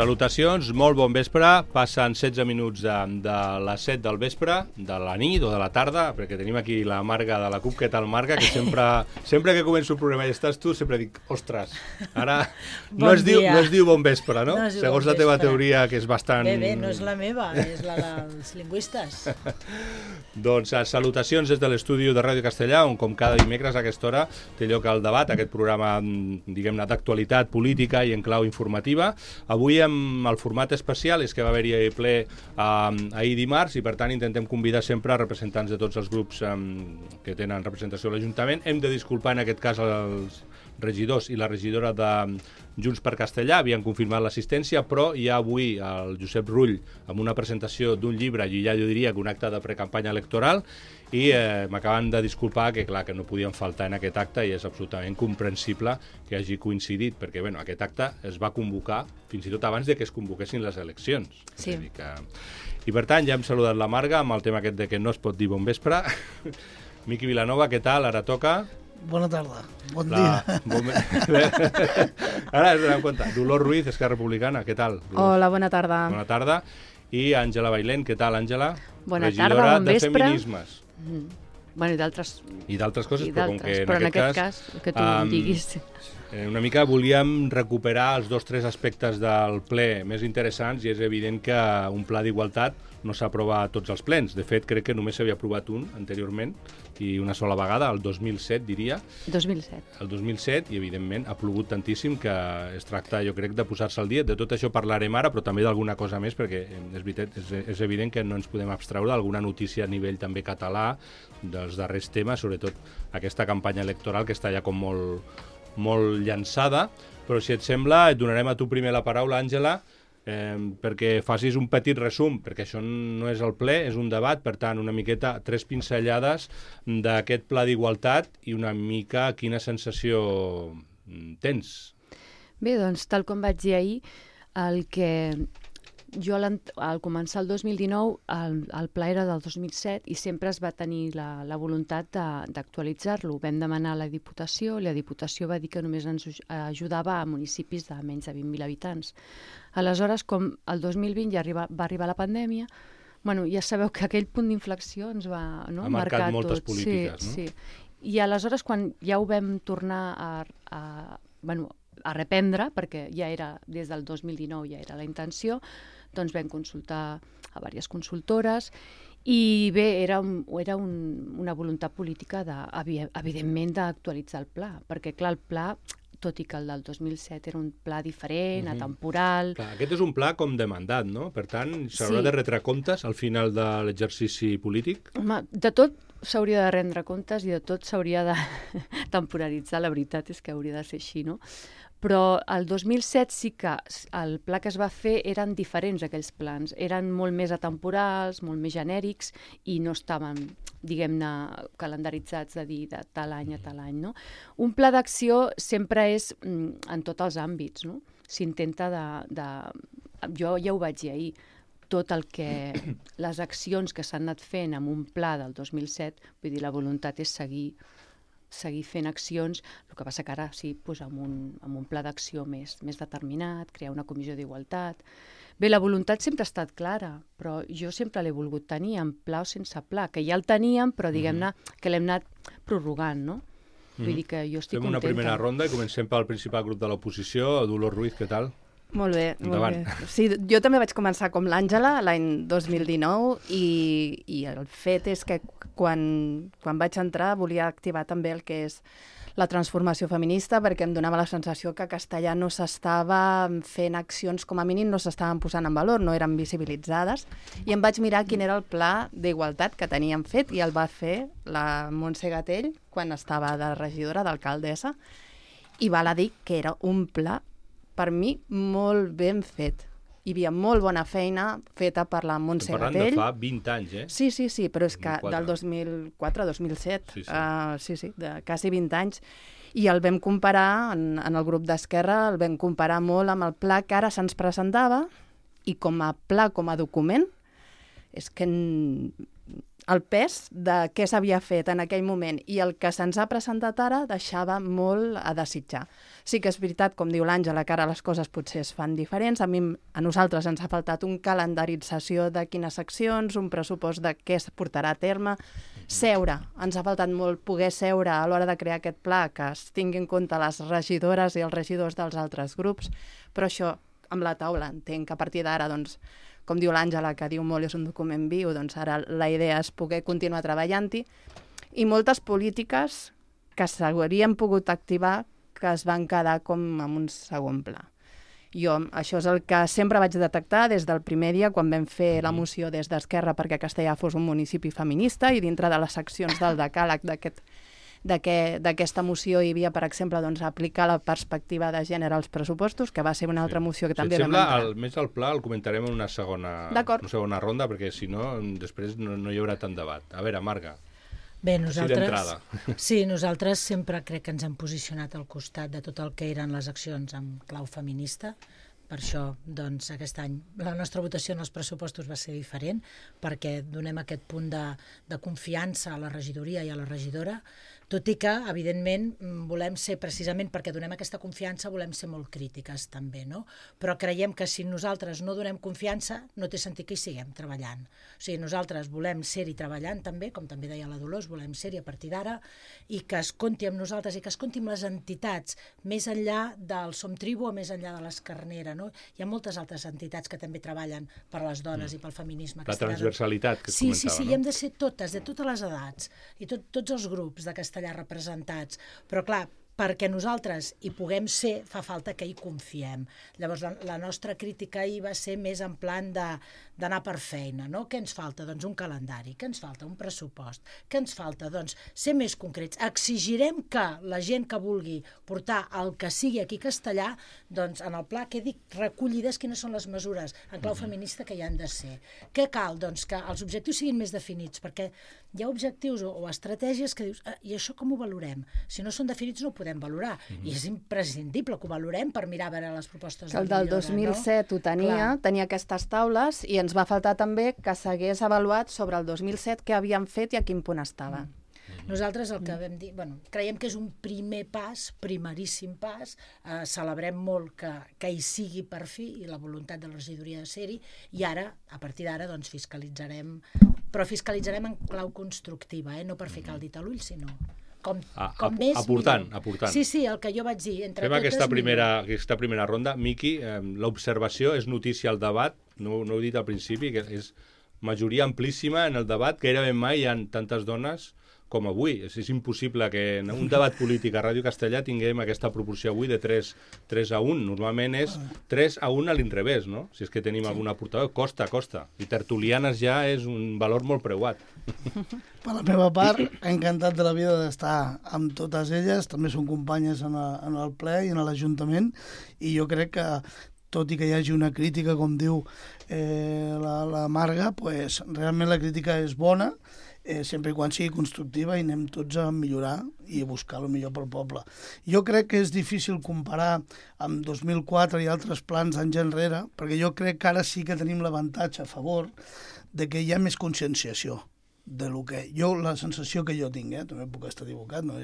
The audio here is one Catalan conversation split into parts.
Salutacions, molt bon vespre. Passen 16 minuts de les 7 del vespre, de la nit o de la tarda, perquè tenim aquí la Marga de la CUP. Què tal, Marga? Que sempre que començo el programa i estàs tu, sempre dic, ostres, ara no es diu bon vespre, no? Segons la teva teoria, que és bastant... Bé, no és la meva, és la dels lingüistes. Doncs salutacions des de l'estudi de Ràdio Castellà, on com cada dimecres a aquesta hora té lloc el debat, aquest programa, diguem-ne, d'actualitat política i en clau informativa. Avui amb el format especial és que va haver-hi ple ahir dimarts i per tant intentem convidar sempre representants de tots els grups que tenen representació a l'Ajuntament. Hem de disculpar en aquest cas els regidors i la regidora de Junts per Castellà, havien confirmat l'assistència, però hi ha avui el Josep Rull amb una presentació d'un llibre, i ja jo diria que un acte de precampanya electoral, i m'acaben de disculpar que clar que no podien faltar en aquest acte i és absolutament comprensible que hagi coincidit, perquè bueno, aquest acte es va convocar fins i tot abans de que es convoquessin les eleccions. Sí. I per tant ja hem saludat la Marga amb el tema aquest de que no es pot dir bon vespre. Miqui Vilanova, què tal? Ara toca... Bona tarda, bon dia. Ara ens donem compte. Dolors Ruiz, Esquerra Republicana, què tal? Dolors? Hola, bona tarda. Bona tarda. I Àngela Bailén, què tal, Àngela? Bona tarda, bon vespre. Regidora de Feminismes. Bueno, i d'altres coses, però com que però en aquest cas que tu em diguis. Una mica volíem recuperar els 2 o 3 aspectes del ple més interessants i és evident que un pla d'igualtat no s'aprova a tots els plens. De fet, crec que només s'havia aprovat un anteriorment i una sola vegada, el 2007, diria. 2007. El 2007, i evidentment ha plogut tantíssim que es tracta, jo crec, de posar-se al dia. De tot això parlarem ara, però també d'alguna cosa més, perquè és veritat, és evident que no ens podem abstreure d'alguna notícia a nivell també català dels darrers temes, sobretot aquesta campanya electoral que està ja com molt llançada. Però si et sembla, et donarem a tu primer la paraula, Àngela, perquè facis un petit resum, perquè això no és el ple, és un debat, per tant, una miqueta, 3 pinzellades d'aquest pla d'igualtat i una mica quina sensació tens. Bé, doncs, tal com vaig dir ahir, el que jo al començar el 2019 el pla era del 2007 i sempre es va tenir la voluntat d'actualitzar-lo. Vam demanar a la Diputació i la Diputació va dir que només ens ajudava a municipis de menys de 20.000 habitants. Aleshores, com el 2020 ja va arribar la pandèmia, bueno, ja sabeu que aquell punt d'inflexió ens va ha marcat moltes tot. polítiques, sí, no? Sí. I aleshores, quan ja ho vam tornar a reprendre, perquè ja era des del 2019 ja era la intenció, doncs vam consultar a diverses consultores i bé, era una voluntat política, evidentment, d'actualitzar el pla, perquè clar, el pla, tot i que el del 2007 era un pla diferent, atemporal... Clar, aquest és un pla com de mandat, no? Per tant, s'haurà de retre comptes al final de l'exercici polític? Home, de tot s'hauria de rendre comptes i de tot s'hauria de temporalitzar, la veritat és que hauria de ser així, no? Però el 2007 sí que el pla que es va fer eren diferents, aquells plans. Eren molt més atemporals, molt més genèrics i no estaven, diguem-ne, calendaritzats de dir de tal any a tal any, no? Un pla d'acció sempre és en tots els àmbits, no? S'intenta jo ja ho vaig dir ahir, tot el que... les accions que s'han anat fent amb un pla del 2007, vull dir, la voluntat és seguir fent accions, el que passa que ara sí, doncs amb un pla d'acció més determinat, crear una comissió d'igualtat. Bé, la voluntat sempre ha estat clara, però jo sempre l'he volgut tenir, amb pla o sense pla, que ja el teníem, però diguem-ne que l'hem anat prorrogant, no? Vull dir que jo estic contenta. Fem una primera ronda i comencem pel principal grup de l'oposició. Dolors Ruiz, què tal? Molt bé, endavant. Molt bé. Sí, jo també vaig començar com l'Àngela l'any 2019 i el fet és que quan vaig entrar volia activar també el que és la transformació feminista perquè em donava la sensació que a Castellà no s'estava fent accions, com a mínim no s'estaven posant en valor, no eren visibilitzades i em vaig mirar quin era el pla d'igualtat que teníem fet i el va fer la Montse Gatell quan estava de regidora, d'alcaldessa i val a dir que era un pla per mi molt ben fet. Hi havia molt bona feina feta per la Montse Gatell. Estem parlant de fa 20 anys, eh? Sí, però és que del 2004 a 2007, de quasi 20 anys, i el vam comparar, en el grup d'Esquerra, el vam comparar molt amb el pla que ara se'ns presentava, i com a pla, com a document, és que el pes de què s'havia fet en aquell moment i el que se'ns ha presentat ara deixava molt a desitjar. Sí que és veritat, com diu l'Àngela, que ara les coses potser es fan diferents. A nosaltres ens ha faltat un calendarització de quines accions, un pressupost de què es portarà a terme, seure. Ens ha faltat molt poder seure a l'hora de crear aquest pla, que es tingui en compte les regidores i els regidors dels altres grups, però això amb la taula entenc que a partir d'ara, doncs, com diu l'Àngela, que diu molt és un document viu, doncs ara la idea és poder continuar treballant-hi, i moltes polítiques que s'haurien pogut activar que es van quedar com en un segon pla. Això és el que sempre vaig detectar des del primer dia quan vam fer la moció des d'Esquerra perquè Castellà fos un municipi feminista, i dintre de les seccions del decàleg d'aquesta moció hi havia, per exemple, doncs, aplicar la perspectiva de gènere als pressupostos, que va ser una altra moció que també vam entrar. Més el pla el comentarem en una segona ronda, perquè si no, després no hi haurà tant debat. A veure, Marga. Bé, nosaltres sempre crec que ens hem posicionat al costat de tot el que eren les accions en clau feminista. Per això, doncs, aquest any la nostra votació en els pressupostos va ser diferent, perquè donem aquest punt de confiança a la regidoria i a la regidora, tot i que, evidentment, volem ser, precisament perquè donem aquesta confiança, volem ser molt crítiques també, no? Però creiem que si nosaltres no donem confiança, no té sentit que hi siguem treballant. O sigui, nosaltres volem ser-hi treballant també, com també deia la Dolors, volem ser-hi a partir d'ara, i que es compti amb nosaltres i que es compti amb les entitats, més enllà del Som Tribu o més enllà de l'Escarnera, no? Hi ha moltes altres entitats que també treballen per les dones i pel feminisme. La transversalitat que es comentava, no? Sí, i hem de ser totes, de totes les edats, i tots els grups de Castellà representats, però clar, perquè nosaltres hi puguem ser, fa falta que hi confiem. Llavors, la nostra crítica ahir va ser més en plan d'anar per feina, no? Què ens falta? Doncs un calendari. Què ens falta? Un pressupost. Què ens falta? Doncs ser més concrets. Exigirem que la gent que vulgui portar el que sigui aquí castellà, doncs en el pla quedi recollides quines són les mesures en clau feminista que hi han de ser. Què cal? Doncs que els objectius siguin més definits, perquè hi ha objectius o estratègies que dius, i això com ho valorem? Si no són definits no ho podem valorar, i és imprescindible que ho valorem per mirar a veure les propostes de millora. El del 2007 ho tenia aquestes taules, i ens va faltar també que s'hagués avaluat sobre el 2007 què havien fet i a quin punt estava. Nosaltres el que vam dir, creiem que és un primer pas, primeríssim pas, celebrem molt que hi sigui per fi i la voluntat de la regidoria de ser-hi, i ara, a partir d'ara, doncs fiscalitzarem, però fiscalitzarem en clau constructiva, no per ficar el dit a l'ull, sinó com més aportant. Sí, el que jo vaig dir. Fem aquesta primera ronda. Miqui, l'observació és notícia al debat, no ho he dit al principi, que és majoria amplíssima en el debat, gairebé mai hi ha tantes dones com avui. És impossible que en un debat polític a Ràdio Castellà tinguem aquesta proporció avui de 3 a 1. Normalment és 3 a 1 a l'inrevés, no? Si és que tenim alguna portaveu. Costa. I tertulianes ja és un valor molt preuat. Per la meva part, encantat de la vida d'estar amb totes elles. També són companyes en el ple i en l'Ajuntament. I jo crec que, tot i que hi hagi una crítica, com diu la Marga, pues, realment la crítica és bona, sempre i quan sigui constructiva, i anem tots a millorar i a buscar el millor pel poble. Jo crec que és difícil comparar amb 2004 i altres plans d'anys enrere, perquè jo crec que ara sí que tenim l'avantatge a favor de que hi ha més conscienciació de lo que... la sensació que jo tinc, també puc estar equivocat, no?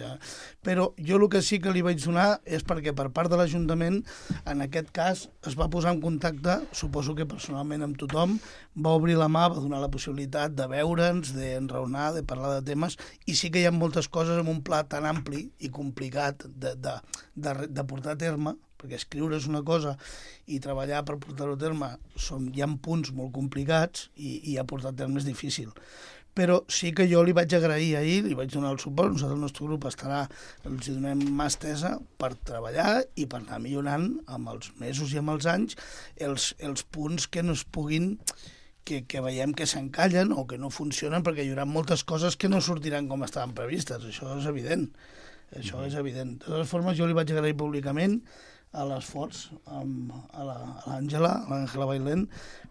Però jo el que sí que li vaig donar és perquè per part de l'Ajuntament, en aquest cas, es va posar en contacte, suposo que personalment amb tothom, va obrir la mà, va donar la possibilitat de veure'ns, d'enraonar, de parlar de temes, i sí que hi ha moltes coses en un pla tan ampli i complicat de portar a terme, perquè escriure és una cosa i treballar per portar-ho a terme hi ha punts molt complicats i a portar a terme és difícil. Però sí que jo li vaig agrair ahir, li vaig donar el suport, nosaltres el nostre grup els donem mà estesa per treballar i per anar millorant amb els mesos i amb els anys els punts que no es puguin, que veiem que s'encallen o que no funcionen, perquè hi haurà moltes coses que no sortiran com estaven previstes, això és evident. De totes formes, jo li vaig agrair públicament a l'esforç a l'Àngela Bailén,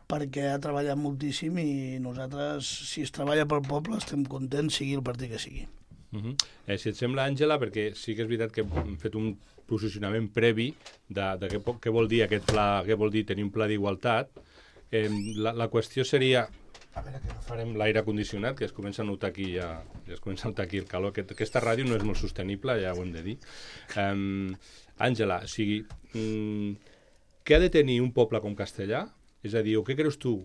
perquè ha treballat moltíssim i nosaltres, si es treballa pel poble, estem contents, sigui el partit que sigui. Si et sembla, Àngela, perquè sí que és veritat que hem fet un posicionament previ de què vol dir aquest pla, què vol dir tenir un pla d'igualtat, la qüestió seria, A veure, que no farem l'aire condicionat, que es comença a notar aquí ja es comença a notar aquí el calor. Aquesta ràdio no és molt sostenible, ja ho hem de dir. Àngela, o sigui, què ha de tenir un poble com Castellà? És a dir, o què creus tu,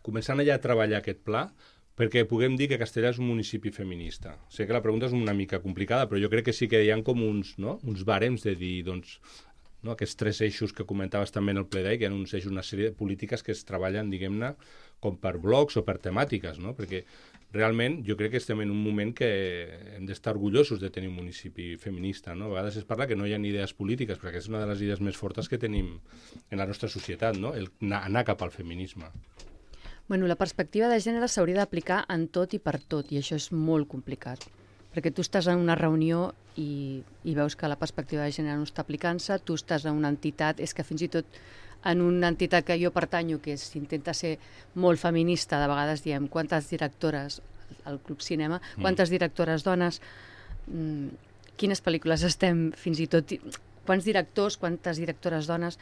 començant allà a treballar aquest pla, perquè puguem dir que Castellà és un municipi feminista? Sé que la pregunta és una mica complicada, però jo crec que sí que hi ha com uns bàrems de dir, doncs, no, aquests 3 eixos que comentaves també en el ple d'ahir, que hi ha uns eixos, una sèrie de polítiques que es treballen, diguem-ne, com per blocs o per temàtiques, no? Perquè realment jo crec que estem en un moment que hem d'estar orgullosos de tenir un municipi feminista, no? A vegades es parla que no hi ha idees polítiques, perquè és una de les idees més fortes que tenim en la nostra societat, no? Anar cap al feminisme. Bueno, la perspectiva de gènere s'hauria d'aplicar en tot i per tot, i això és molt complicat. Perquè tu estàs en una reunió i veus que la perspectiva de gènere no està aplicant-se, tu estàs en una entitat, és que fins i tot en una entitat que jo pertanyo, que s'intenta ser molt feminista, de vegades diem quantes directores, al Club Cinema, quantes directores dones, quines pel·lícules estem, fins i tot, quants directors, quantes directores dones,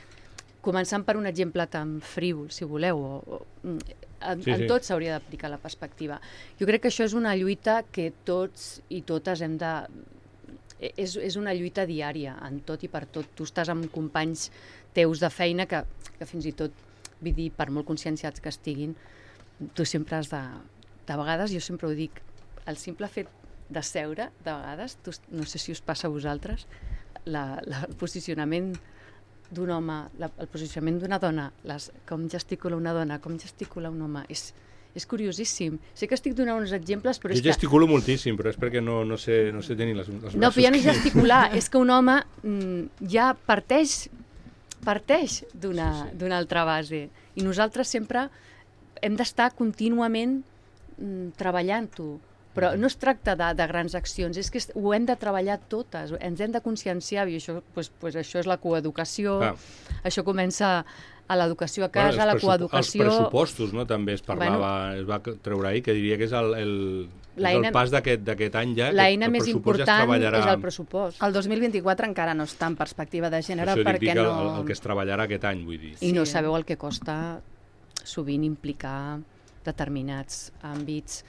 començant per un exemple tan frívol, si voleu, en tot s'hauria d'aplicar la perspectiva. Jo crec que això és una lluita que tots i totes hem de... És una lluita diària, en tot i per tot. Tu estàs amb companys teus de feina que fins i tot, vull dir, per molt conscienciats que estiguin, tu sempre has de... De vegades, jo sempre ho dic, el simple fet de seure, de vegades, no sé si us passa a vosaltres, el posicionament d'un home, el posicionament d'una dona, com gesticula una dona, com gesticula un home, és curiosíssim. Sé que estic donant uns exemples, però jo gesticulo moltíssim, però és perquè no sé tenir les braços. No, però ja no és gesticular, és que un home ja parteix d'una altra base. I nosaltres sempre hem d'estar contínuament treballant-ho. Però no es tracta de grans accions, és que ho hem de treballar totes, ens hem de conscienciar, i això, això és la coeducació, això comença a l'educació a casa, la coeducació... Els pressupostos, no?, també es parlava, es va treure ahir, que diria que és el pas d'aquest any ja, l'eina més important és el pressupost. El 2024 encara no està en perspectiva de gènere perquè no... El que es treballarà aquest any, vull dir. I no sabeu el que costa sovint implicar determinats àmbits,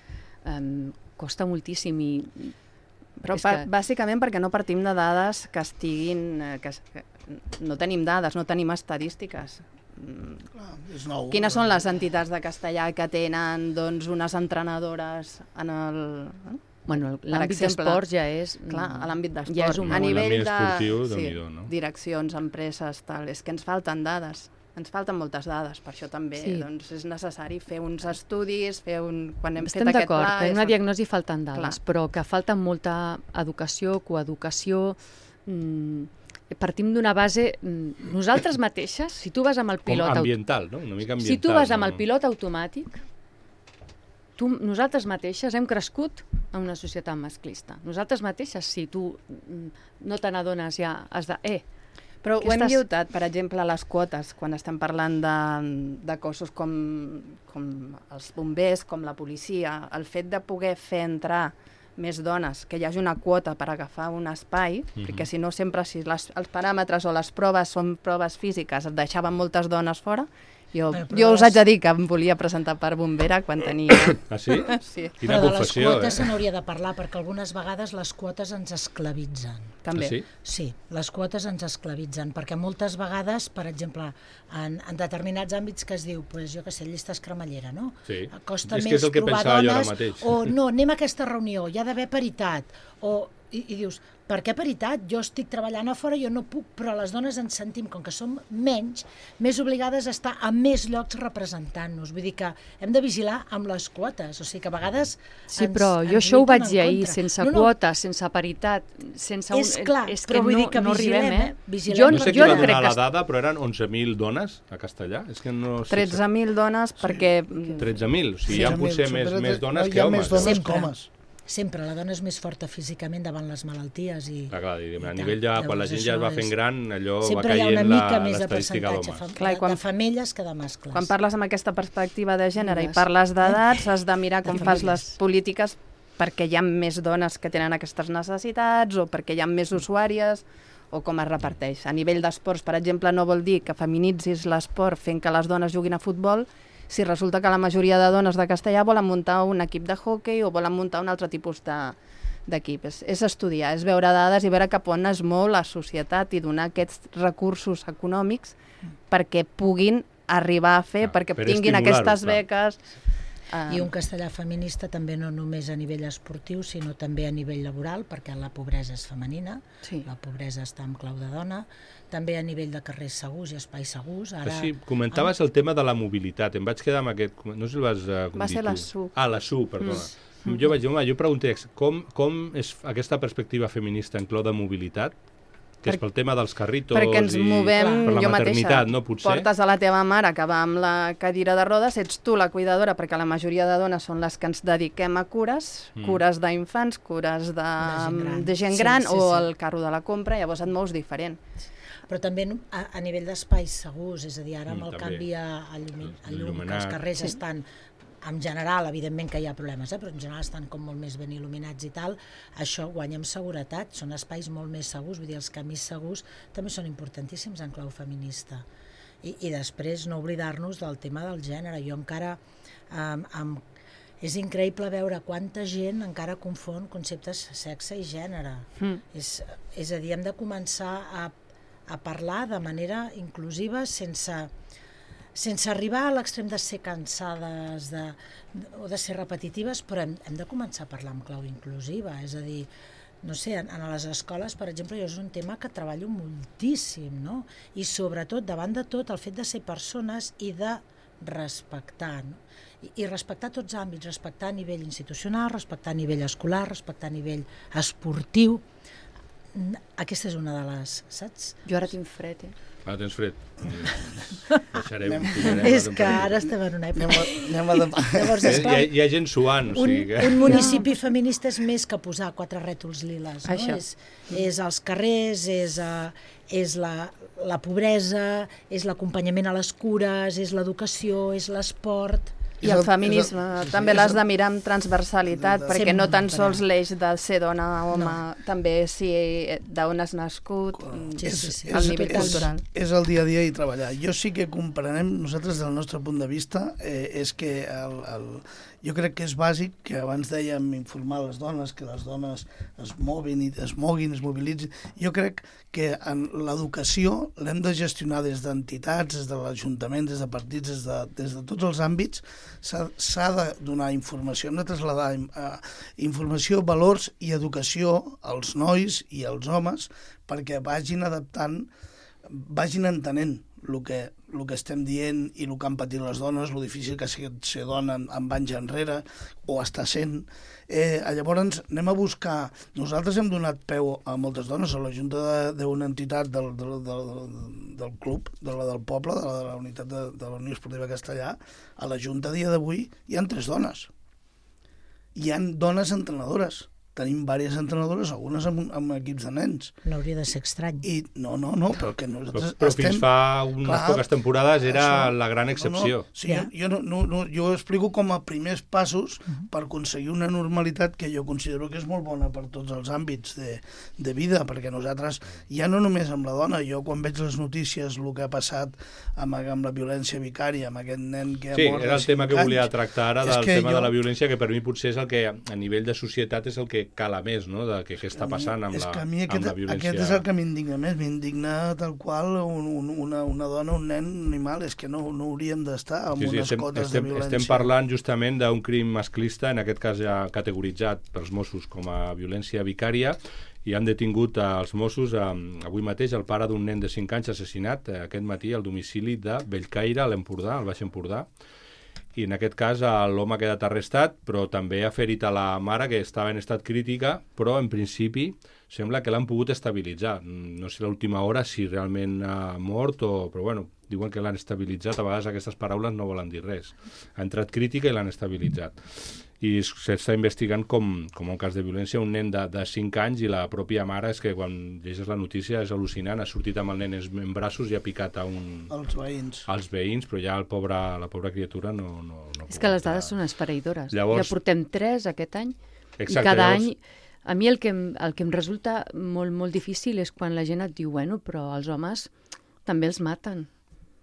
costa moltíssim i... Però bàsicament perquè no partim de dades que estiguin... No tenim dades, no tenim estadístiques. És nou. Quines són les entitats de Castellà que tenen unes entrenadores en el... Bueno, l'àmbit d'esports ja és... Clar, a l'àmbit d'esport. Ja és un a nivell esportiu, de direccions, empreses, tal, és que ens falten dades. Ens falten moltes dades, per això també és necessari fer uns estudis, quan hem fet aquest pla... Estem d'acord, que en una diagnosi falten dades, però que falta molta educació, coeducació... Partim d'una base... Nosaltres mateixes, si tu vas amb el pilot... Com ambiental, no? Una mica ambiental. Si tu vas amb el pilot automàtic, nosaltres mateixes hem crescut en una societat masclista. Nosaltres mateixes, si tu no te n'adones, ja has de... Però ho hem lluitat, per exemple, a les quotes, quan estem parlant de cossos com els bombers, com la policia, el fet de poder fer entrar més dones, que hi hagi una quota per agafar un espai, perquè si no sempre, si els paràmetres o les proves són proves físiques, et deixaven moltes dones fora. Jo us haig de dir que em volia presentar per bombera quan tenia... Ah, sí? Sí. Però de les quotes se n'hauria de parlar, perquè algunes vegades les quotes ens esclavitzen. També. Ah, sí? Sí, les quotes ens esclavitzen, perquè moltes vegades, per exemple, en determinats àmbits que es diu, jo què sé, llistes cremallera, no? Sí. Costa és més que és el que trobar pensava dones, jo ara mateix. o no, anem a aquesta reunió, hi ha d'haver paritat, i dius, per què paritat? Jo estic treballant a fora, jo no puc, però les dones ens sentim, com que som menys, més obligades a estar a més llocs representant-nos. Vull dir que hem de vigilar amb les quotes, o sigui que a vegades sí, però jo això ho vaig dir ahir, sense quotes, sense paritat, sense és clar, és però vull dir que no vigilem, vigilem. No sé qui va donar la dada, però eren 11.000 dones a Castellà. És que no sé 13.000 dones perquè... 13.000, o sigui, hi ha potser més dones que homes. Hi ha més dones que homes. Sempre, la dona és més forta físicament davant les malalties i... Clar, a nivell ja, quan la gent ja es va fent gran, allò va caient l'estadística d'homes. Sempre hi ha una mica més de percentatge de femelles que de mascles. Quan parles amb aquesta perspectiva de gènere i parles d'edats, has de mirar com fas les polítiques perquè hi ha més dones que tenen aquestes necessitats o perquè hi ha més usuàries o com es reparteix. A nivell d'esports, per exemple, no vol dir que feminitzis l'esport fent que les dones juguin a futbol si resulta que la majoria de dones de Castellà volen muntar un equip de hoquei o volen muntar un altre tipus d'equip. És estudiar, és veure dades i veure cap on es mou la societat i donar aquests recursos econòmics perquè puguin arribar a fer, perquè tinguin aquestes beques. I un castellà feminista també no només a nivell esportiu, sinó també a nivell laboral, perquè la pobresa és femenina, la pobresa està en clau de dona, també a nivell de carrers segurs i espais segurs. Ara... Sí, comentaves el tema de la mobilitat, em vaig quedar amb aquest... No sé si el vas dir tu. Va ser la SU. La SU, perdona. Jo pregunté, com és aquesta perspectiva feminista en clau de mobilitat? Que és pel tema dels carritos perquè ens movem, per la jo maternitat, mateixa, no? Potser. Portes a la teva mare que va amb la cadira de rodes, ets tu la cuidadora, perquè la majoria de dones són les que ens dediquem a cures d'infants, cures de gent gran o el carro de la compra, llavors et mous diferent. Però també a nivell d'espais segurs, és a dir, ara amb el canvi a llum, que els carrers estan... En general, evidentment que hi ha problemes, però en general estan com molt més ben il·luminats i tal, això guanya en seguretat, són espais molt més segurs, vull dir, els camins segurs també són importantíssims en clau feminista. I després no oblidar-nos del tema del gènere. Jo encara... és increïble veure quanta gent encara confon conceptes sexe i gènere. És a dir, hem de començar a parlar de manera inclusiva sense arribar a l'extrem de ser cansades o de ser repetitives, però hem de començar a parlar en clau inclusiva. És a dir, no sé, en les escoles, per exemple, jo és un tema que treballo moltíssim, no? I sobretot, davant de tot, el fet de ser persones i de respectar, no? I respectar tots àmbits, respectar a nivell institucional, respectar a nivell escolar, respectar a nivell esportiu. Aquesta és una de les, saps? Jo ara tinc fred, Ara tens fred. És que ara estem en una època. Llavors, hi ha gent suant. Un municipi feminista és més que posar 4 rètols liles. No? És els carrers, és la pobresa, és l'acompanyament a les cures, és l'educació, és l'esport... I el feminisme també l'has de mirar amb transversalitat, perquè no tan sols l'eix de ser dona o home, també si d'on has nascut, el nivell cultural. És el dia a dia i treballar. Jo sí que comprenem, nosaltres del nostre punt de vista, és que jo crec que és bàsic, que abans dèiem informar les dones, que les dones es moguin, es mobilitzin. Jo crec que en l'educació l'hem de gestionar des d'entitats, des de l'Ajuntament, des de partits, des de tots els àmbits. S'ha de donar informació, hem de traslladar informació, valors i educació als nois i als homes perquè vagin adaptant, vagin entenent el que estem dient i el que han patit les dones, el difícil que és ser dona amb anys enrere o està sent. Llavors anem a buscar... Nosaltres hem donat peu a moltes dones, a la junta d'una entitat del club, del poble, de la unitat de la Unió Esportiva Castellà. A la junta a dia d'avui hi ha 3 dones. Hi ha dones entrenadores. Tenim diverses entrenadores, algunes amb equips de nens. No hauria de ser estrany. No, però que nosaltres però fins fa unes poques temporades era la gran excepció. Sí, jo ho explico com a primers passos per aconseguir una normalitat que jo considero que és molt bona per tots els àmbits de vida, perquè nosaltres, ja no només amb la dona, jo quan veig les notícies, el que ha passat amb la violència vicària, amb aquest nen que ha mort... Sí, era el tema que volia tractar ara, del tema de la violència, que per mi potser és el que a nivell de societat és el que cala més, no?, de què està passant amb la violència. Aquest és el que m'indigna més, m'indigna tal qual una dona, un nen, un animal, és que no hauríem d'estar amb unes cotes de violència. Estem parlant justament d'un crim masclista, en aquest cas ja categoritzat pels Mossos com a violència vicària, i han detingut els Mossos avui mateix el pare d'un nen de 5 anys assassinat aquest matí al domicili de Bellcaire, a l'Empordà, al Baix Empordà. I en aquest cas l'home ha quedat arrestat, però també ha ferit a la mare, que estava en estat crítica, però en principi sembla que l'han pogut estabilitzar. No sé l'última hora si realment ha mort, però bueno, diuen que l'han estabilitzat. A vegades aquestes paraules no volen dir res. Ha entrat crítica i l'han estabilitzat. I s'està investigant com un cas de violència un nen de 5 anys, i la pròpia mare, és que quan llegeixes la notícia és al·lucinant, ha sortit amb el nen en braços i ha picat als veïns, però ja la pobra criatura no és que les dades són esfereïdores. Llavors, ja portem 3 aquest any, exacte, i cada any... A mi el que em resulta molt, molt difícil és quan la gent et diu, bueno, però els homes també els maten.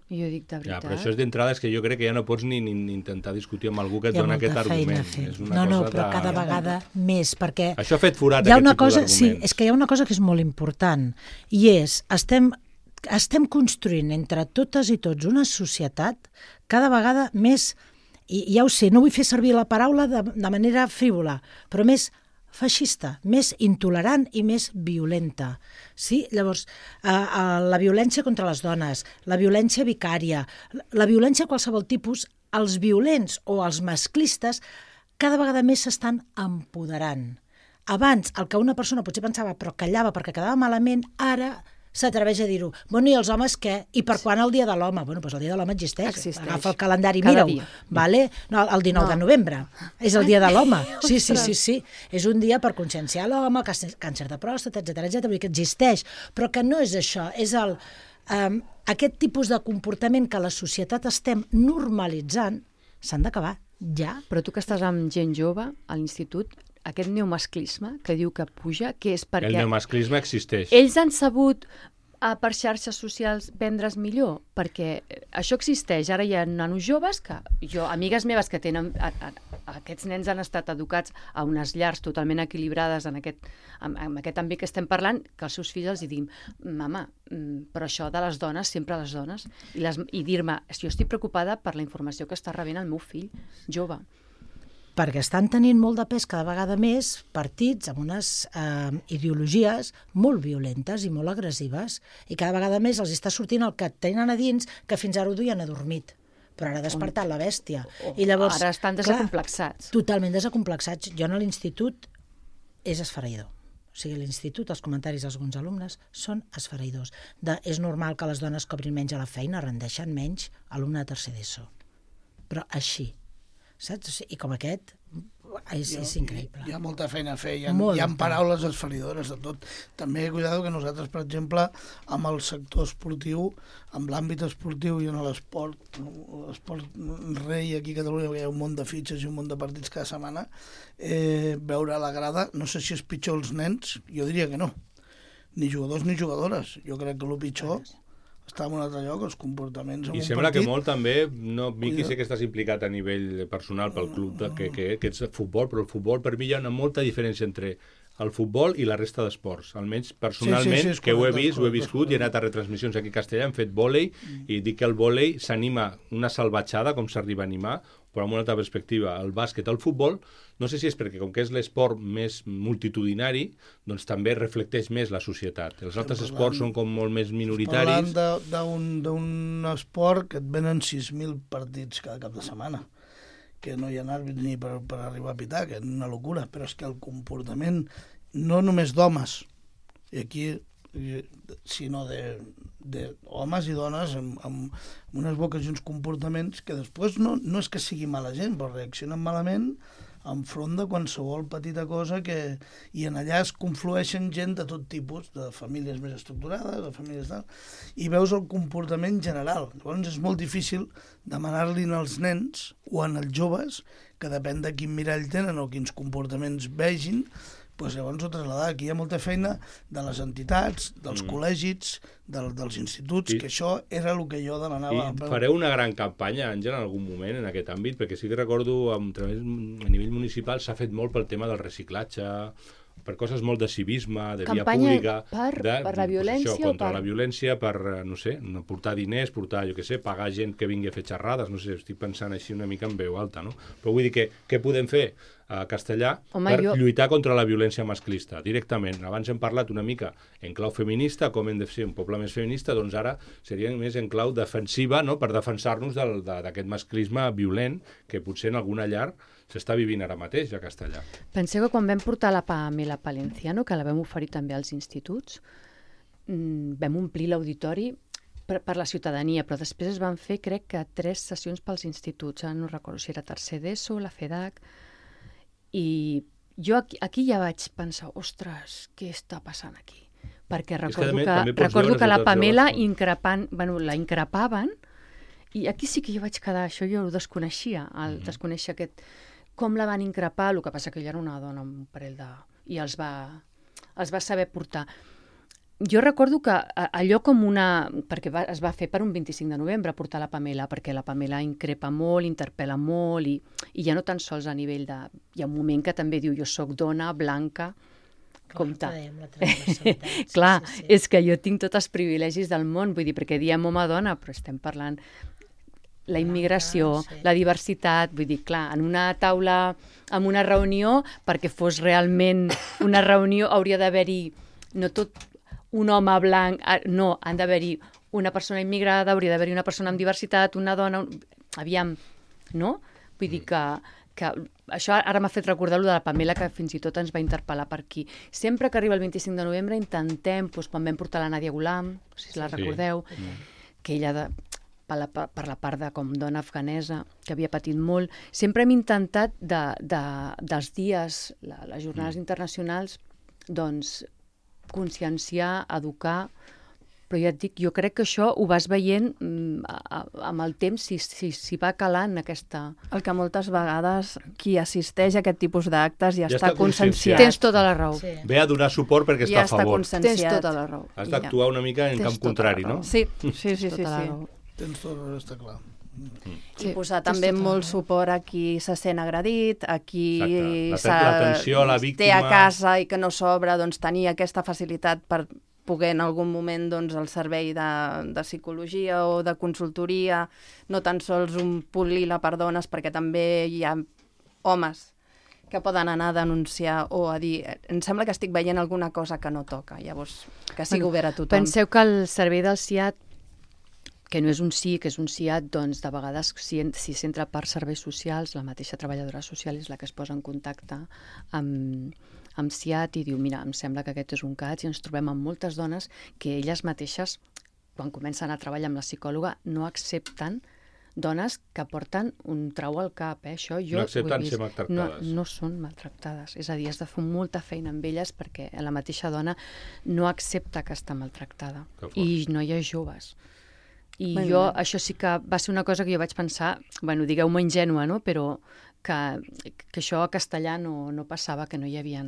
Jo dic de veritat. Però això és d'entrada, és que jo crec que ja no pots ni intentar discutir amb algú que et dona aquest argument. No, però cada vegada més, perquè... Això ha fet forat aquest tipus d'arguments. Sí, és que hi ha una cosa que és molt important, i és, estem construint entre totes i tots una societat cada vegada més, i ja ho sé, no vull fer servir la paraula de manera frívola, però més feixista, més intolerant i més violenta. Sí? Llavors, la violència contra les dones, la violència vicària, la violència de qualsevol tipus, els violents o els masclistes cada vegada més s'estan empoderant. Abans, el que una persona potser pensava però callava perquè quedava malament, ara s'atreveix a dir-ho. Bueno, i els homes què? I per quan el dia de l'home? Bueno, doncs el dia de l'home existeix. Agafa el calendari, mira-ho. Vale? No, el 19 de novembre. És el dia de l'home. Sí. És un dia per conscienciar l'home, càncer de pròstata, etc. Vull dir que existeix. Però que no és això. És aquest tipus de comportament que la societat estem normalitzant s'han d'acabar ja. Però tu que estàs amb gent jove a l'institut, aquest neomasclisme que diu que puja, que és perquè... El neomasclisme existeix. Ells han sabut per xarxes socials vendre's millor, perquè això existeix. Ara hi ha nanos joves que... amigues meves que tenen... Aquests nens han estat educats a unes llars totalment equilibrades en aquest àmbit que estem parlant, que els seus fills els diguin mama, però això de les dones, sempre les dones, i dir-me, jo estic preocupada per la informació que està rebent el meu fill jove. Perquè estan tenint molt de pes cada vegada més partits amb unes ideologies molt violentes i molt agressives, i cada vegada més els està sortint el que tenen a dins, que fins ara ho duien adormit, però ara ha despertat la bèstia. I llavors, ara estan desacomplexats. Totalment desacomplexats. Jo a l'institut és esfereïdor. O sigui, a l'institut els comentaris d'alguns alumnes són esfereïdors. És normal que les dones cobrin menys a la feina, rendeixen menys alumne de tercer d'ESO. Però així. Saps? I com aquest és increïble. Hi ha molta feina a fer, hi ha paraules esferidores de tot. També cuidado que nosaltres, per exemple, amb el sector esportiu, amb l'àmbit esportiu i en l'esport rei aquí a Catalunya, perquè hi ha un munt de fitxes i un munt de partits cada setmana, veure a la grada, no sé si és pitjor els nens, jo diria que no. Ni jugadors ni jugadores. Jo crec que el pitjor està en un altre lloc, els comportaments en un partit. I sembla que molt també, Miqui, sé que estàs implicat a nivell personal pel club que ets futbol, però el futbol per mi hi ha una molta diferència entre el futbol i la resta d'esports. Almenys personalment, que ho he vist, ho he viscut, i he anat a retransmissions aquí a Castellà, hem fet vòlei, i dic que el vòlei s'anima una salvatjada, com s'arriba a animar, però amb una altra perspectiva. El bàsquet, el futbol, no sé si és perquè com que és l'esport més multitudinari, doncs també reflecteix més la societat. Els altres esports són com molt més minoritaris. Parlant d'un esport que et venen 6.000 partits cada cap de setmana, que no hi ha àrbits ni per arribar a pitar, que és una locura, però és que el comportament, no només d'homes, i aquí, sinó d'homes i dones amb unes boques i uns comportaments que després no és que sigui mala gent, però reaccionen malament enfront de qualsevol petita cosa i en allà es conflueixen gent de tot tipus, de famílies més estructurades, de famílies tal, i veus el comportament general. Llavors és molt difícil demanar-li als nens o als joves, que depèn de quin mirall tenen o quins comportaments vegin, doncs llavors ho traslladar. Aquí hi ha molta feina de les entitats, dels col·legis, dels instituts, que això era el que jo demanava. I fareu una gran campanya, Àngel, en algun moment en aquest àmbit, perquè sí que recordo a nivell municipal s'ha fet molt pel tema del reciclatge, per coses molt de civisme, de via pública... Campanya per la violència això, contra la violència, per, no sé, portar diners, pagar gent que vingui a fer xerrades, no sé, estic pensant així una mica en veu alta, no? Però vull dir que què podem fer a Castellà lluitar contra la violència masclista, directament. Abans hem parlat una mica en clau feminista, com hem de ser un poble més feminista, doncs ara seria més en clau defensiva, no?, per defensar-nos d'aquest masclisme violent que potser en alguna llar s'està vivint ara mateix a Castellà. Penseu que quan vam portar la Pamela Palenciano, que la vam oferir també als instituts, vam omplir l'auditori per la ciutadania, però després es van fer, crec que 3 sessions pels instituts, no recordo si era tercer d'ESO, la FEDAC, i jo aquí ja vaig pensar, ostres, què està passant aquí? Perquè recordo que la Pamela la increpaven, i aquí sí que jo vaig quedar, això jo ho desconeixia, desconèixer aquest... Com la van increpar, el que passa que ella era una dona amb un parell de... i els va saber portar. jo recordo que allò com una... perquè es va fer per un 25 de novembre portar la Pamela, perquè la Pamela increpa molt, interpel·la molt, i ja no tan sols a nivell de... Hi ha un moment que també diu, jo sóc dona, blanca, compte. Clar, és que jo tinc tots els privilegis del món, vull dir, perquè diem home-dona, però estem parlant la immigració, la diversitat, vull dir, clar, en una taula, en una reunió, perquè fos realment una reunió, hauria d'haver-hi, no tot un home blanc, no, han d'haver-hi una persona immigrada, hauria d'haver-hi una persona amb diversitat, una dona, aviam, no? Vull dir que això ara m'ha fet recordar lo de la Pamela, que fins i tot ens va interpel·lar per aquí. Sempre que arriba el 25 de novembre intentem, doncs, quan vam portar la Nàdia Ghulam, si la recordeu, que ella per la part de com dona afganesa, que havia patit molt, sempre hem intentat dels dies, les jornades internacionals, doncs, conscienciar, educar, però ja et dic, jo crec que això ho vas veient amb el temps, si va calant aquesta... El que moltes vegades qui assisteix a aquest tipus d'actes ja està conscienciat. Tens tota la raó. Sí. Ve a donar suport perquè està a favor. Tens tota la raó. Has d'actuar una mica en camp contrari, no? Sí. Tens tot, està clar. I posar també molt suport a qui se sent agredit, a qui l'atenció a la víctima, té a casa i que no s'obre, doncs tenir aquesta facilitat per poder en algun moment doncs, el servei de psicologia o de consultoria, no tan sols un punt lila per dones, perquè també hi ha homes que poden anar a denunciar o a dir, em sembla que estic veient alguna cosa que no toca, llavors que sigui obert a tothom. Penseu que el servei del SIAT, que no és un SI, que és un SIAT, doncs de vegades si s'entra per serveis socials, la mateixa treballadora social és la que es posa en contacte amb SIAT i diu, mira, em sembla que aquest és un cas, i ens trobem amb moltes dones que elles mateixes, quan comencen a treballar amb la psicòloga, no accepten dones que porten un trau al cap, això jo no accepten ser maltractades. No són maltractades, és a dir, has de fer molta feina amb elles perquè la mateixa dona no accepta que està maltractada, i noies joves. I jo, això sí que va ser una cosa que jo vaig pensar, bueno, digueu-me ingènua, no?, però que això a castellà no passava, que no hi havia...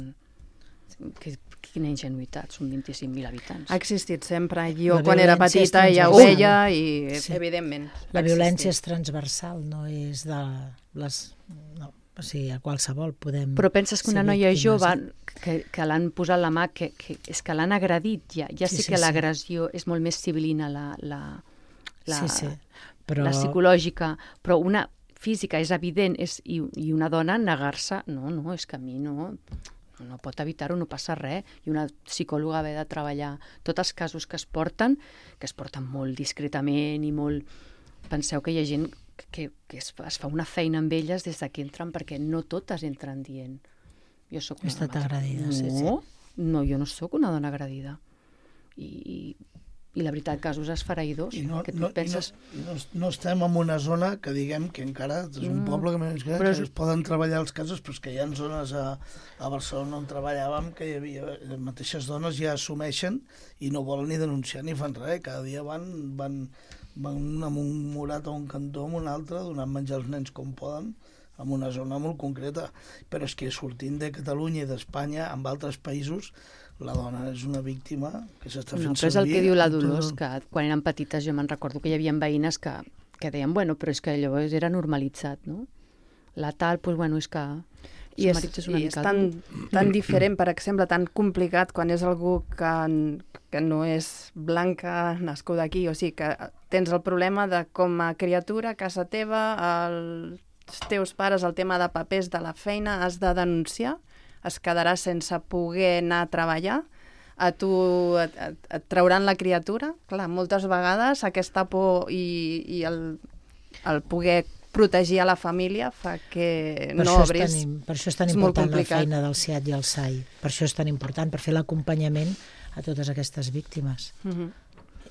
Quina ingenuïtat, són 25.000 habitants. Ha existit sempre. Jo, quan era petita, ja ho veia i, evidentment, la violència és transversal, no és de les... No, o sigui, a qualsevol podem... Però penses que una noia jove que l'han posat la mà, que és que l'han agredit, ja sé que l'agressió és molt més civilina, la psicològica, però una física és evident, i una dona negar-se, no, és que a mi no pot evitar-ho, no passa res, i una psicòloga haver de treballar tots els casos que es porten molt discretament i molt... Penseu que hi ha gent que es fa una feina amb elles des que entren, perquè no totes entren dient jo soc una dona agredida. No, jo no sóc una dona agredida. I la veritat, casos esfereïdors, que tu penses... No estem en una zona que diguem que encara és un poble que es poden treballar els casos, però que hi ha zones a Barcelona on treballàvem que hi havia les mateixes dones ja assumeixen i no volen ni denunciar ni fan res, cada dia van amb un morat a un cantó, amb un altre, donant menjar als nens com poden, en una zona molt concreta. Però és que sortint de Catalunya i d'Espanya, amb altres països, la dona és una víctima que s'està fent servir... Però és el que diu la Dolors, que quan eren petites jo me'n recordo que hi havia veïnes que deien, bueno, però és que allò era normalitzat, no? La tal, doncs, bueno, és que... I és tan diferent, per exemple, tan complicat quan és algú que no és blanca, nascuda aquí, o sigui, que tens el problema de com a criatura, a casa teva, els teus pares, el tema de papers de la feina, has de denunciar, es quedarà sense poder anar a treballar, a tu et trauran la criatura. Clar, moltes vegades aquesta por i el poder protegir a la família fa que no obris. Per això és tan important la feina del SIAT i el SAI. Per això és tan important, per fer l'acompanyament a totes aquestes víctimes.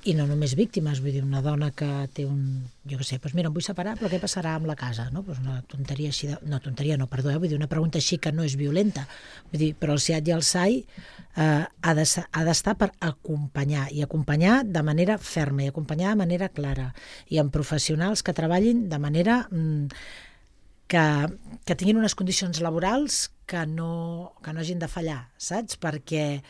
I no només víctimes, vull dir, una dona que té jo què sé, doncs mira, em vull separar, però què passarà amb la casa? No? Doncs una tonteria així, vull dir, una pregunta així que no és violenta. Vull dir, però el SIAT i el SAI ha d'estar per acompanyar, i acompanyar de manera ferma, i acompanyar de manera clara, i amb professionals que treballin de manera que tinguin unes condicions laborals que no hagin de fallar, saps? Perquè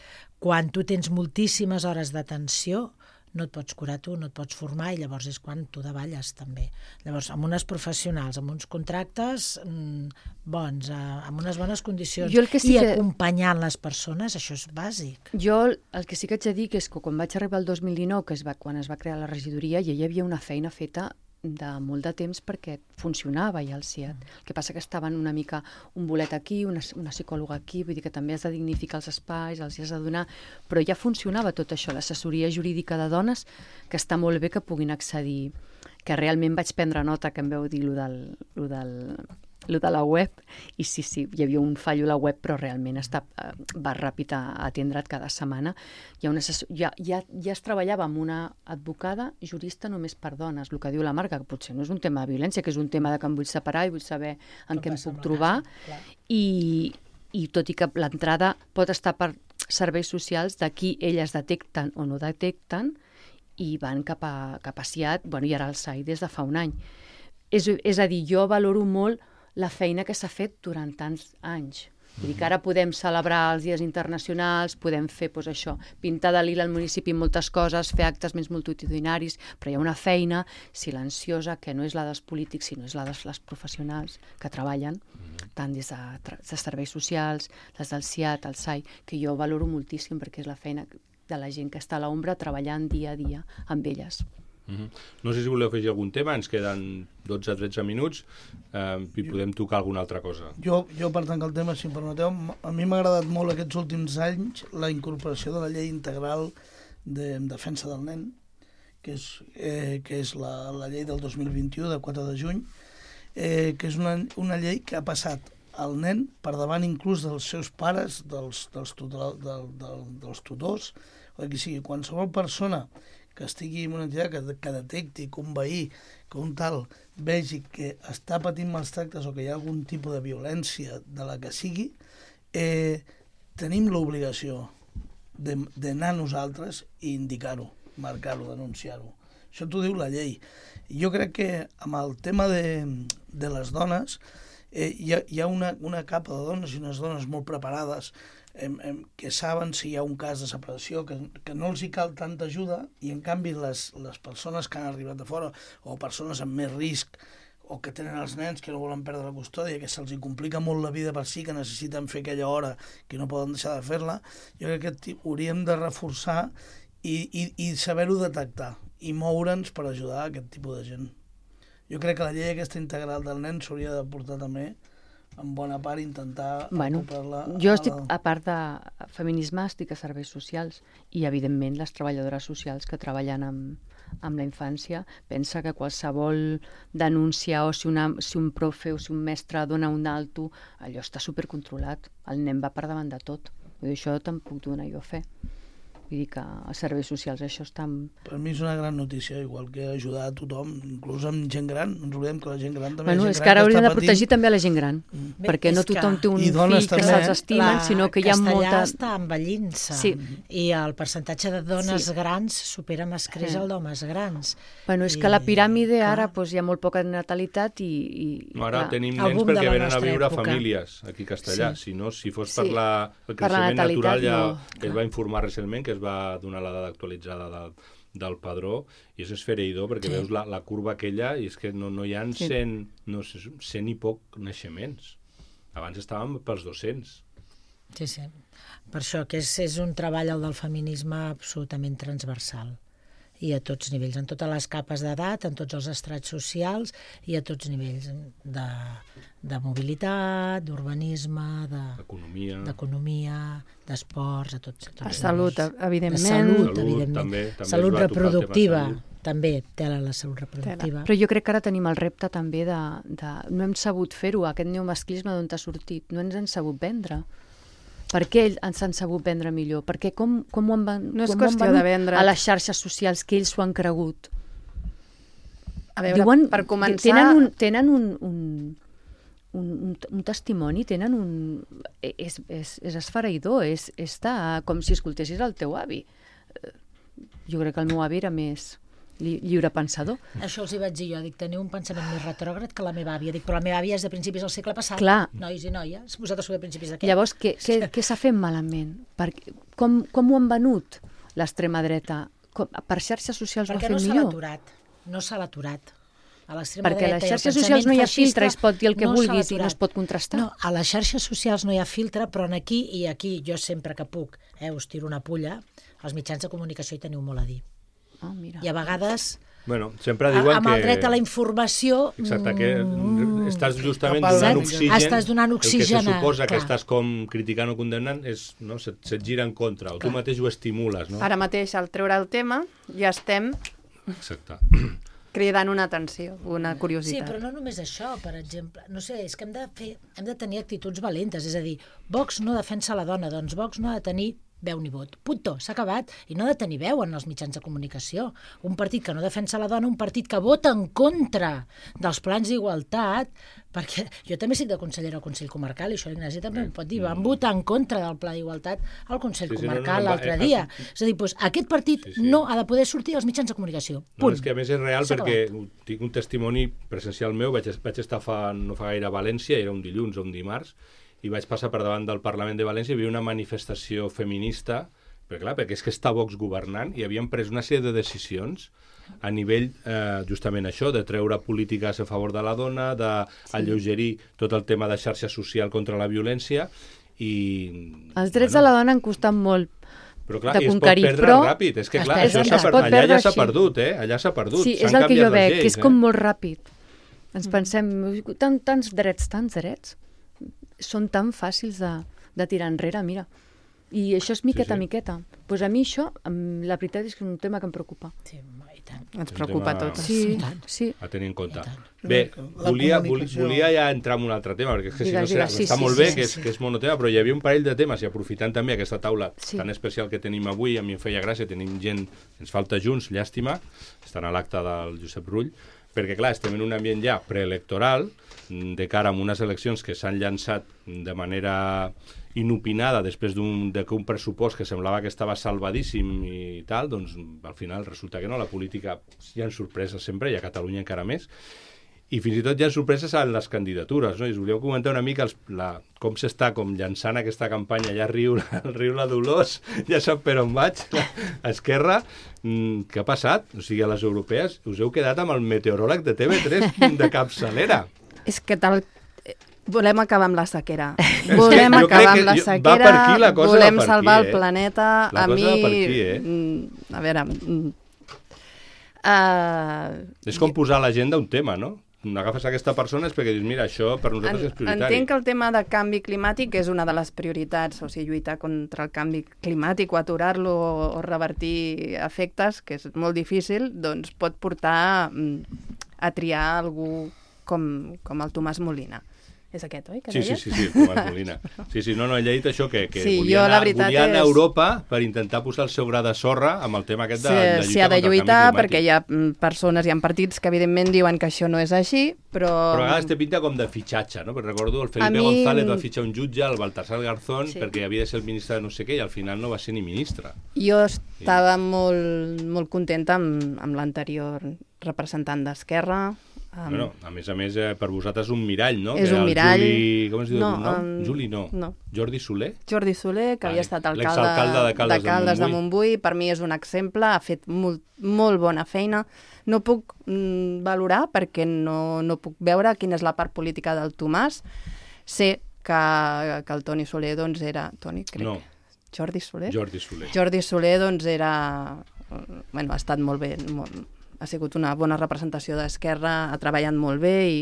quan tu tens moltíssimes hores d'atenció, no et pots curar tu, no et pots formar, i llavors és quan tu davalles també. Llavors, amb unes professionals, amb uns contractes bons, amb unes bones condicions, i acompanyant les persones, això és bàsic. Jo el que sí que haig de dir és que quan vaig arribar el 2019, quan es va crear la regidoria, ja hi havia una feina feta de molt de temps perquè funcionava ja el CIAT. El que passa que estaven una mica un bolet aquí, una psicòloga aquí, vull dir que també has de dignificar els espais, els has de donar, però ja funcionava tot això, l'assessoria jurídica de dones, que està molt bé que puguin accedir, que realment vaig prendre nota que em veu dir lo de la web, i sí, hi havia un fallo a la web, però realment va ràpid a atendre't cada setmana. Ja es treballava amb una advocada jurista només per dones, el que diu la Marga, que potser no és un tema de violència, que és un tema de que em vull separar i vull saber en què em puc trobar, i tot i que l'entrada pot estar per serveis socials, d'aquí elles detecten o no detecten, i van cap a CIAT, i ara al SAI des de fa un any. És a dir, jo valoro molt la feina que s'ha fet durant tants anys. Vull dir que ara podem celebrar els dies internacionals, podem fer això, pintar de lila al municipi moltes coses, fer actes més multitudinaris, però hi ha una feina silenciosa que no és la dels polítics, sinó és la de les professionals que treballen, tant des de serveis socials, les del CIAT, el SAI, que jo valoro moltíssim perquè és la feina de la gent que està a l'ombra treballant dia a dia amb elles. No sé si voleu afegir algun tema, ens queden 12-13 minuts i podem tocar alguna altra cosa. Jo per tancar el tema, si em permeteu, a mi m'ha agradat molt aquests últims anys la incorporació de la llei integral de defensa del nen, que és la llei del 2021, de 4 de juny, que és una llei que ha passat el nen per davant inclús dels seus pares, dels tutors, o qui sigui, qualsevol persona que estigui en una entitat que detecti que un veí, que un tal vegi que està patint mals tractes o que hi ha algun tipus de violència de la que sigui, tenim l'obligació d'anar nosaltres i indicar-ho, marcar-ho, denunciar-ho. Això t'ho diu la llei. Jo crec que amb el tema de les dones hi ha una capa de dones i unes dones molt preparades que saben si hi ha un cas de separació, que no els hi cal tanta ajuda, i en canvi les persones que han arribat de fora o persones amb més risc o que tenen els nens que no volen perdre la custòdia, que se'ls complica molt la vida per si, que necessiten fer aquella hora que no poden deixar de fer-la, jo crec que hauríem de reforçar i saber-ho detectar i moure'ns per ajudar a aquest tipus de gent. Jo crec que la llei aquesta integral del nen s'hauria de portar també en bona part intentar ocupar-la... Jo estic, a part de feminisme, estic a serveis socials i, evidentment, les treballadores socials que treballen amb la infància pensa que qualsevol denúncia o si un profe o si un mestre dona un alto, allò està supercontrolat. El nen va per davant de tot. Vull dir, això te'n puc donar jo fe. Vull dir que a serveis socials això està... Per mi és una gran notícia, igual que ajudar a tothom, inclús amb gent gran. No ens oblidem que la gent gran també... És que ara hauríem de protegir també a la gent gran, perquè no tothom té un fill que se'ls estimen, sinó que hi ha molta... Castellà està envellint-se, i el percentatge de dones grans supera amb escreix el d'homes grans. És que la piràmide ara hi ha molt poca natalitat i... Ara tenim nens perquè venen a viure a famílies aquí a Castellà, si fos per el creixement natural, ja es va informar recentment que va donar la dada actualitzada del padró, i és esfereïdor perquè veus la curva aquella i és que no hi ha 100 i poc naixements. Abans estàvem pels 200. Sí. Per això que és un treball, el del feminisme, absolutament transversal. I a tots nivells, en totes les capes d'edat, en tots els estrats socials i a tots nivells de mobilitat, d'urbanisme, d'economia, d'esports, a tots. A salut, evidentment. Salut, evidentment. Salut reproductiva, també, tela la salut reproductiva. Però jo crec que ara tenim el repte també de no hem sabut fer-ho, aquest neomasclisme d'on t'ha sortit, no ens han sabut vendre. Per què ens han sabut vendre millor? Perquè com ho han venut a les xarxes socials, que ells s'ho han cregut? A veure, per començar... Tenen un testimoni, tenen un... És esfereïdor, és com si escoltessis el teu avi. Jo crec que el meu avi era més lliurepensador. Això els hi vaig dir jo, dic, teniu un pensament més retrògrad que la meva àvia. Dic, però la meva àvia és de principis del segle passat. Clar. Nois i noies, vosaltres sou de principis d'aquest. Llavors, què s'ha fet malament? Com ho han venut l'extrema dreta? Per xarxes socials ho ha fet millor? No s'ha aturat. Perquè a les xarxes socials no hi ha filtre, es pot dir el que vulguis i no es pot contrastar. No, a les xarxes socials no hi ha filtre, però aquí jo sempre que puc, us tiro una pulla, als mitjans de comunicació hi teniu molt a dir. Oh, mira. I a vegades, bueno, sempre diuen amb el dret a la informació... Exacte, que estàs justament donant oxigen. Estàs donant oxigen. El que se suposa que estàs com criticant o condemnant se't gira en contra, o tu mateix ho estimules. No? Ara mateix, al treure el tema, ja estem... Exacte. Cridant una atenció, una curiositat. Sí, però no només això, per exemple. No sé, és que hem de tenir actituds valentes. És a dir, Vox no defensa la dona, doncs Vox no ha de tenir veu ni vot. Punto, s'ha acabat. I no ha de tenir veu en els mitjans de comunicació. Un partit que no defensa la dona, un partit que vota en contra dels plans d'igualtat, perquè jo també soc de consellera al Consell Comarcal, i això l'Ignasi també ho pot dir, van votar en contra del pla d'igualtat al Consell Comarcal l'altre dia. És a dir, aquest partit no ha de poder sortir als mitjans de comunicació. Punt. No, és que a més és real perquè tinc un testimoni presencial meu, vaig estar no fa gaire a València, era un dilluns o un dimarts, i vaig passar per davant del Parlament de València i hi havia una manifestació feminista, perquè és que està Vox governant i havien pres una sèrie de decisions a nivell, justament això, de treure polítiques a favor de la dona, d'alleugerir tot el tema de xarxa social contra la violència i... Els drets de la dona han costat molt però clar, de conquerir, conquerir, però... ràpid. És que clar, allà ja s'ha perdut, Allà s'ha perdut. Sí, és el que jo veig, que és com molt ràpid. Ens pensem, tants drets, són tan fàcils de tirar enrere, mira. I això és miqueta a miqueta. Pues a mi això, la veritat és que és un tema que em preocupa. Sí, i tant. Ens preocupa a tots. Sí. A tenir en compte. Bé, volia ja entrar en un altre tema, perquè és que si no està molt bé, que és monotema, però hi havia un parell de temes, i aprofitant també aquesta taula tan especial que tenim avui, a mi em feia gràcia, tenim gent, ens falta Junts, llàstima, estan a l'acte del Josep Rull, perquè clar, estem en un ambient ja preelectoral, de cara a unes eleccions que s'han llançat de manera inopinada després que un pressupost que semblava que estava salvadíssim i tal, doncs al final resulta que no, la política hi ha sorpreses sempre, i a Catalunya encara més, i fins i tot hi ha sorpreses en les candidatures, no? I us volíeu comentar una mica com s'està llançant aquesta campanya, ja riu la Dolors, ja sap per on vaig, a Esquerra. Què ha passat? O sigui, a les europees us heu quedat amb el meteoròleg de TV3 de capçalera. És que volem acabar amb la sequera. Volem acabar amb la sequera, volem salvar el planeta. La cosa va per aquí, A veure... És com posar a l'agenda un tema, no? Agafes aquesta persona és perquè dius, mira, això per nosaltres és prioritari. Entenc que el tema de canvi climàtic és una de les prioritats, o sigui, lluitar contra el canvi climàtic o aturar-lo o revertir efectes, que és molt difícil, doncs pot portar a triar algú com el Tomàs Molina. És aquest, oi? Sí, Tomàs Molina. Sí, no, ell ha dit això, que sí, volia anar a Europa per intentar posar el seu gra de sorra amb el tema aquest de lluitar contra el canvi climàtic. S'hi ha de lluitar perquè hi ha persones, hi ha partits que evidentment diuen que això no és així, però... Però a vegades té pinta com de fitxatge, no? Perquè recordo el Felipe González va fitxar un jutge, el Baltasar Garzón, perquè havia de ser el ministre de no sé què, i al final no va ser ni ministre. Jo estava molt contenta amb l'anterior representant d'Esquerra. Bueno, a més, per vosaltres un mirall, no? És un mirall. Com es diu el nom? Juli, no. Jordi Soler? Jordi Soler, que havia estat alcalde de Caldes de Montbui. Per mi és un exemple, ha fet molt bona feina. No puc valorar perquè no puc veure quina és la part política del Tomàs. Sé que el Toni Soler, doncs, era... Toni, crec. No. Jordi Soler? Jordi Soler, doncs, era... Bueno, ha estat molt bé, ha sigut una bona representació d'Esquerra, ha treballat molt bé i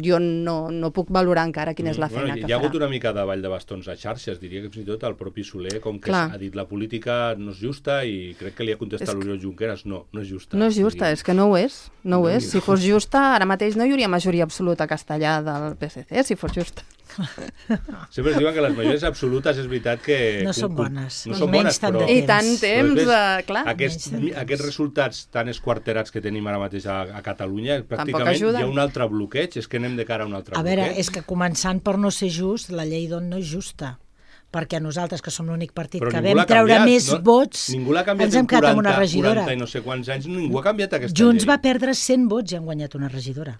jo no puc valorar encara quina és la feina que farà. Hi ha hagut una mica de ball de bastons a xarxes, diria que fins i tot el propi Soler, com que ha dit la política no és justa, i crec que li ha contestat l'Oriol Junqueras, no és justa. No és justa, és que no ho és. No ho és. Si fos justa, ara mateix no hi hauria majoria absoluta castellà del PSC, si fos justa. Sempre es diuen que les majories absolutes és veritat que... No són bones. No són bones, però... I tant temps, clar. Aquests resultats tan esquarterats que tenim ara mateix a Catalunya, pràcticament hi ha un altre bloqueig, és que anem de cara a un altre bloqueig. A veure, és que començant per no ser just, la llei d'on no és justa. perquè nosaltres, que som l'únic partit que vam treure més vots, ningú l'ha canviat en 40 i no sé quants anys, ningú ha canviat aquesta llei. Junts va perdre 100 vots i han guanyat una regidora.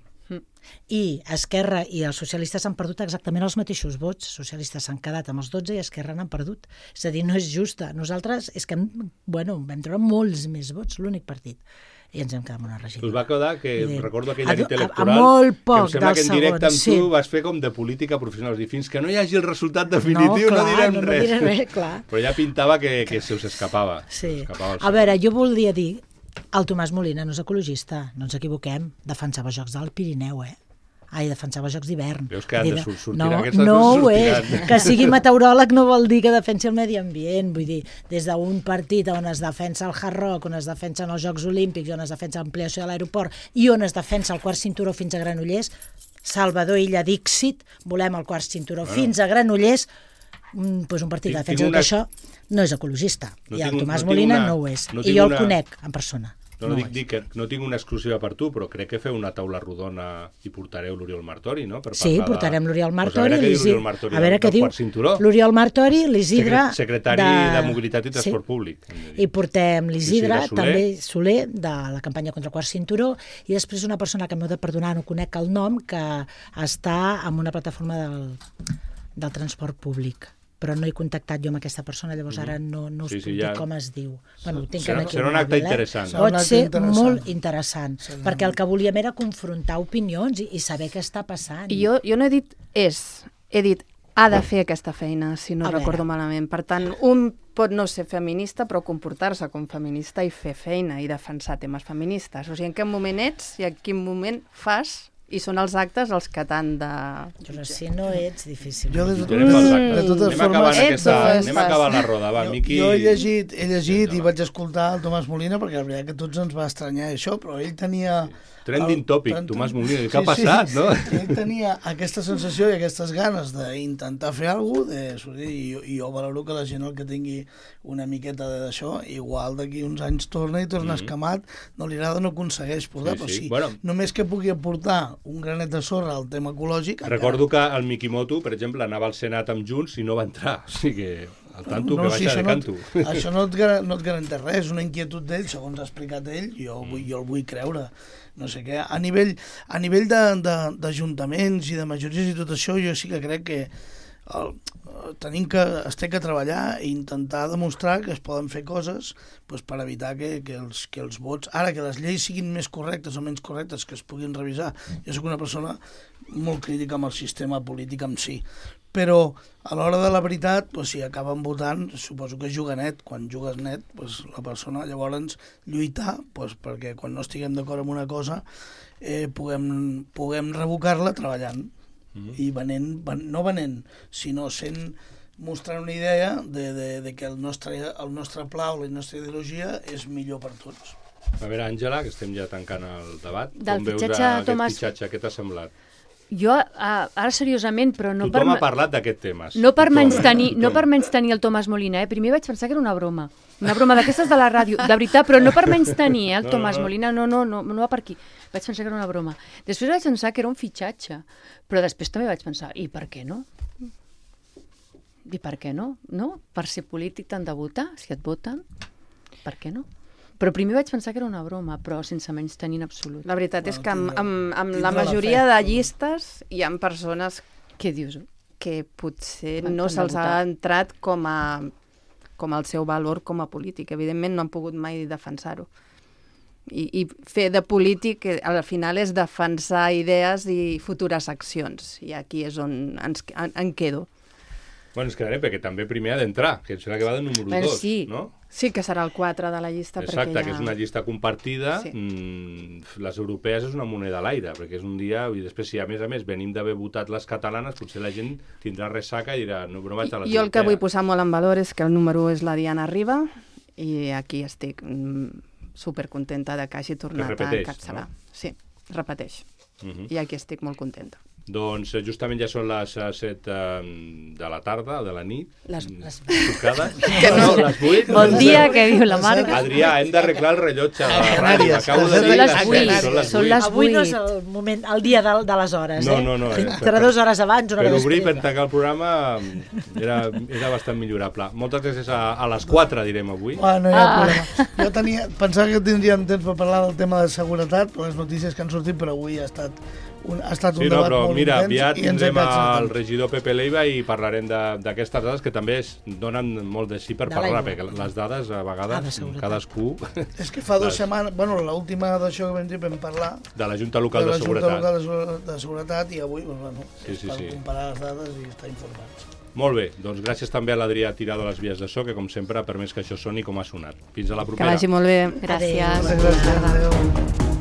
I Esquerra i els socialistes han perdut exactament els mateixos vots. Els socialistes s'han quedat amb els 12 i Esquerra n'han perdut. És a dir, no és justa. Nosaltres és que vam treure molts més vots, l'únic partit. I ens hem quedat amb una regidora. Us va quedar que, recordo aquella nit electoral, a molt poc que em sembla que en directe amb tu sí. vas fer com de política professional. I fins que no hi hagi el resultat definitiu no direm res. No diré res, clar. Però ja pintava que se us escapava. Sí. A veure, jo volia dir, el Tomàs Molina no és ecologista, no ens equivoquem, defensava jocs del Pirineu, defensava jocs d'hivern. Veus que han de sortir aquestes coses sortiran. Que sigui meteoròleg no vol dir que defensi el medi ambient. Vull dir, des d'un partit on es defensa el Hard Rock, on es defensen els Jocs Olímpics, on es defensa l'ampliació de l'aeroport i on es defensa el quart cinturó fins a Granollers, Salvador Illa Dixit, volem el quart cinturó fins a Granollers, doncs un partit que defensa tot això no és ecologista. I el Tomàs Molina no ho és. I jo el conec en persona. No dic que no tinc una exclusiva per tu, però crec que feu una taula rodona i portareu l'Oriol Martori, no? Sí, portarem l'Oriol Martori. A veure què diu l'Oriol Martori, l'Isidre... Secretari de Mobilitat i Transport Públic. I portem l'Isidre, també Soler, de la campanya contra el quart cinturó, i després una persona que m'heu de perdonar, no conec el nom, que està en una plataforma del transport públic. Però no he contactat jo amb aquesta persona, llavors ara no us puc dir com es diu. Bueno, ho tinc aquí. Serà un acte interessant. Pot ser molt interessant, perquè el que volíem era confrontar opinions i saber què està passant. I jo no he dit he dit ha de fer aquesta feina, si no recordo malament. Per tant, un pot no ser feminista, però comportar-se com feminista i fer feina i defensar temes feministes. O sigui, en quin moment ets i en quin moment fas... I són els actes els que t'han de... Però si no ets, difícil. Jo de totes formes... Anem acabant la roda, va, Miqui. Jo he llegit i vaig escoltar el Tomàs Molina, perquè la veritat que tots ens va estranyar això, però ell tenia... Trending topic, Tomàs Molina, què ha passat, no? Ell tenia aquesta sensació i aquestes ganes d'intentar fer alguna cosa, i jo valoro que la gent el que tingui una miqueta d'això, igual d'aquí uns anys torna escamat, no li agrada, no aconsegueix portar, però sí, només que pugui aportar un granet de sorra al tema ecològic... Recordo que el Mikimoto, per exemple, anava al Senat amb Junts i no va entrar, o sigui que... al tanto, que baixa de canto. Això no et garanteix res, una inquietud d'ell, segons ha explicat ell, jo el vull creure. No sé què. A nivell d'ajuntaments i de majories i tot això, jo sí que crec que es té que treballar i intentar demostrar que es poden fer coses per evitar que els vots... Ara, que les lleis siguin més correctes o menys correctes, que es puguin revisar. Jo soc una persona molt crítica amb el sistema polític en si, però a l'hora de la veritat, si acaben votant, suposo que juga net. Quan jugues net, la persona llavors lluitar perquè quan no estiguem d'acord amb una cosa puguem revocar-la treballant i no venent, sinó mostrant una idea de que el nostre pla o la nostra ideologia és millor per tots. A veure, Àngela, que estem ja tancant el debat, com veus aquest fitxatge, què t'ha semblat? Jo, ara seriosament, però no per... Tothom ha parlat d'aquest tema. No per menystenir el Tomàs Molina, Primer vaig pensar que era una broma d'aquestes de la ràdio, de veritat, però no per menystenir el Tomàs Molina, no va per aquí. Vaig pensar que era una broma. Després vaig pensar que era un fitxatge, però després també vaig pensar, i per què no? I per què no? No? Per ser polític t'han de votar, si et voten, per què no? Però primer vaig pensar que era una broma, però sense menystenir en absolut. La veritat és que amb la majoria de llistes hi ha persones què dius? Que potser no se'ls ha entrat com el seu valor com a polític. Evidentment no han pogut mai defensar-ho. I fer de polític al final és defensar idees i futures accions. I aquí és on en quedo. Bueno, ens quedarem perquè també primer ha d'entrar, que serà que va de número 2, no? Sí, que serà el 4 de la llista. Exacte, que és una llista compartida. Sí. Les europees és una moneda a l'aire, perquè és un dia... I després, si a més venim d'haver votat les catalanes, potser la gent tindrà ressaca i dirà no vaig a les europees. Jo el que vull posar molt en valor és que el número 1 és la Diana Riba, i aquí estic supercontenta de que hagi tornat a encapçalar. No? Sí, repeteix. I aquí estic molt contenta. Doncs justament ja són les 7 de la tarda, de la nit. Les tocades. No, les 8. Bon dia, que diu la Marga. Adrià, hem d'arreglar el rellotge de la ràdio. Acabo de dir són les 8. Avui no és el moment, el dia de les hores, No. Entre 2 hores abans, una hora Per obrir, després. per tancar el programa, era bastant millorable. Moltes gràcies a les 4, direm avui. No hi ha problema. Jo pensava que tindríem temps per parlar del tema de seguretat, per les notícies que han sortit, però avui ha estat un debat molt mira, intens. aviat I ens hem tindrem quedat el regidor Pepe Leiva i parlarem d'aquestes dades que també donen molt de sí per parlar, perquè les dades a vegades cadascú... És que fa 2 setmanes, l'última d'això que vam dir vam parlar de la Junta Local de Seguretat. de Seguretat i avui, per comparar les dades i estar informats. Molt bé, doncs gràcies també a l'Adrià Tirado a les vies de so, que com sempre ha permès que això soni com ha sonat. Fins a la propera. Que vagi molt bé. Gràcies. Gràcies. Adéu.